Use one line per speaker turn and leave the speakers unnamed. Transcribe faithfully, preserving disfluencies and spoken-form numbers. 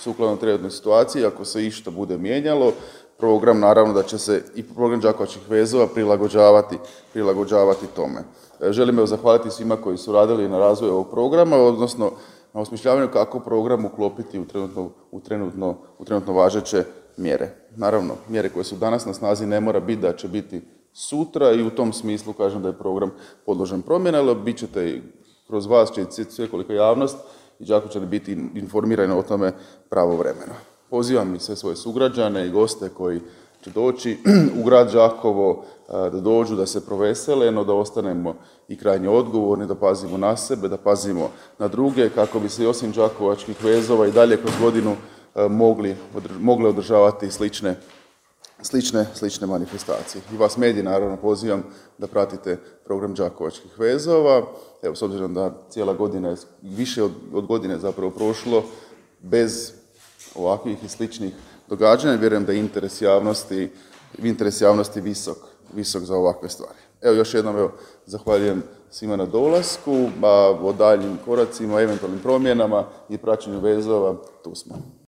sukladno trenutnoj situaciji. Ako se išta bude mijenjalo, program naravno da će se i program Đakovačkih vezova prilagođavati, prilagođavati tome. Želim evo zahvaliti svima koji su radili na razvoju ovog programa, odnosno na osmišljavanju kako program uklopiti u trenutno, u trenutno, u trenutno važeće mjere. Naravno, mjere koje su danas na snazi ne mora biti da će biti sutra i u tom smislu kažem da je program podložen promjena, ali bit ćete i kroz vas će i svekolika javnost i Đakovčani biti informirani o tome pravovremeno. Pozivam i sve svoje sugrađane i goste koji će doći u grad Đakovo da dođu, da se provesele, no da ostanemo i krajnje odgovorni, da pazimo na sebe, da pazimo na druge, kako bi se i osim Đakovačkih vezova i dalje kroz godinu mogli, mogle održavati slične, slične, slične manifestacije. I vas mediji naravno pozivam da pratite program Đakovačkih vezova. Evo, s obzirom da cijela godina je, više od, od godine zapravo prošlo, bez ovakvih i sličnih događanja, vjerujem da je interes javnosti, interes javnosti visok, visok za ovakve stvari. Evo, još jednom evo, zahvaljujem svima na dolasku, a o daljnjim koracima, eventualnim promjenama i praćenju vezova tu smo.